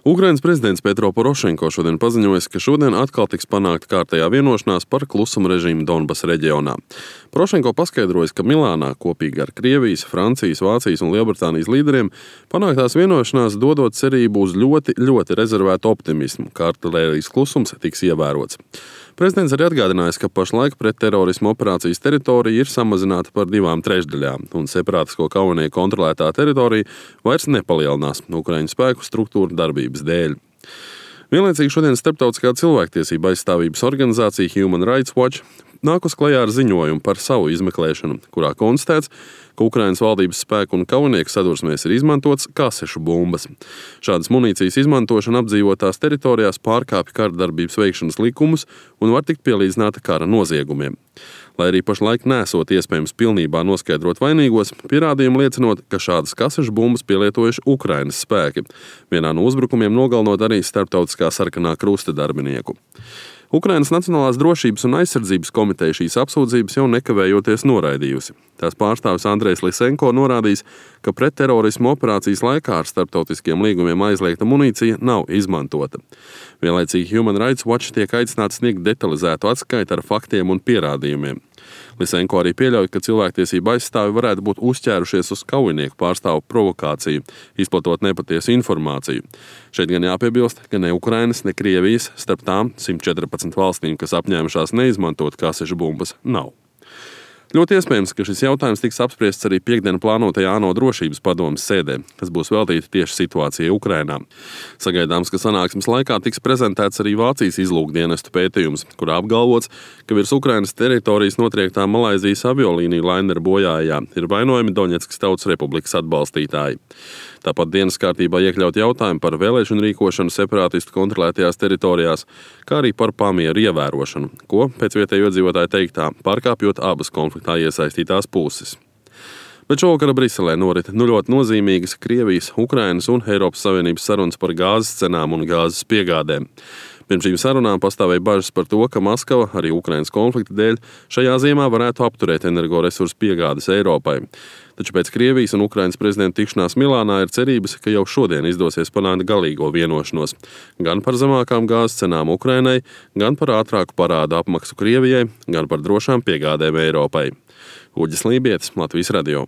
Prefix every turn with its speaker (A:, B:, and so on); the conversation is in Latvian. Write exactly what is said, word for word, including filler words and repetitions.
A: Ukrainas prezidents Petro Porošenko šodien paziņojis, ka šodien atkal tiks panākta kārtējā vienošanās par klusuma režīmu Donbasa reģionā. Porošenko paskaidrojis, ka Milānā kopīgi ar Krievijas, Francijas, Vācijas un Lielbritānijas līderiem panāktās vienošanās dodot cerību uz ļoti, ļoti rezervētu optimismu, ka artilērijas klusums tiks ievērots. Prezidents arī atgādinājis, ka pašlaik pretterorisma operācijas teritorija ir samazināta par divām trešdaļām, un separātisko kaujinieku kontrolētā teritorija vairs nepalielinās Ukraiņu spēku struktūru darbības dēļ. Vienlaicīgi šodien Starptautiskā cilvēktiesība aizstāvības organizācija Human Rights Watch nākus klajā ar ziņojumu par savu izmeklēšanu, kurā konstatēts, ka Ukrainas valdības spēku un kaujinieku sadursmēs ir izmantots kasešu bumbas. Šādas munīcijas izmantošana apdzīvotās teritorijās pārkāpja kara darbības veikšanas likumus un var tikt pielīdzināta kara noziegumiem. Lai arī pašlaik nesot iespējams pilnībā noskaidrot vainīgos, pierādījumi liecinot, ka šādas kasešu bumbas pielietojuši Ukrainas spēki, vienā no uzbrukumiem nogalinot arī Starptautiskā sarkanā krusta darbinieku. Ukrainas Nacionālās drošības un aizsardzības komiteja šīs apsūdzības jau nekavējoties noraidījusi. Tās pārstāvis Andrejs Lisenko norādījis, ka pretterorisma operācijas laikā ar starptautiskiem līgumiem aizliegta munīcija nav izmantota. Vienlaicīgi Human Rights Watch tiek aicināts sniegt detalizētu atskaiti ar faktiem un pierādījumiem. Lisenko arī pieļauj, ka cilvēktiesība aizstāvi varētu būt uzķērušies uz kaujinieku pārstāvu provokāciju, izplatot nepatiesu informāciju. Šeit gan jāpiebilst, ka ne Ukrainas, ne Krievijas starp tām simt četrpadsmit valstīm, kas apņēmušās neizmantot kasešu bumbas, nav. Ļoti iespējams, ka šis jautājums tiks apspriests arī piekdien plānotajā ANO drošības padomes sēdē, kas būs veltīta tieši situācijai Ukrainā. Sagaidāms, ka sanāksmes laikā tiks prezentēts arī Vācijas izlūkdienestu pētījums, kurā apgalvots, ka virs Ukrainas teritorijas notriektā Malaizijas aviolīnija lainera bojājā ir vainojami Doņetskas Tautas Republikas atbalstītāji. Tāpat dienas kārtībā iekļaut jautājumu par vēlēšanu rīkošanu separātistu kontrolētajās teritorijās, kā arī par pamieru ievērošanu, ko, pēc vietējo iedzīvotāju teiktā, pārkāpjot abas konfliktā iesaistītās puses. Bet šovakar Briselē norit nu ļoti nozīmīgas Krievijas, Ukrainas un Eiropas Savienības sarunas par gāzes cenām un gāzes piegādēm. Pirms šīm sarunām pastāvēja bažas par to, ka Maskava arī Ukrainas konflikta dēļ šajā ziemā varētu apturēt energoresursu piegādes Eiropai. Taču pēc Krievijas un Ukrainas prezidenta tikšanās Milānā ir cerības, ka jau šodien izdosies panākt galīgo vienošanos gan par zemākām gāzes cenām Ukrainai, gan par ātrāku parādu apmaksu Krievijai, gan par drošām piegādēm Eiropai. Uģis Lībietis, Latvijas radio.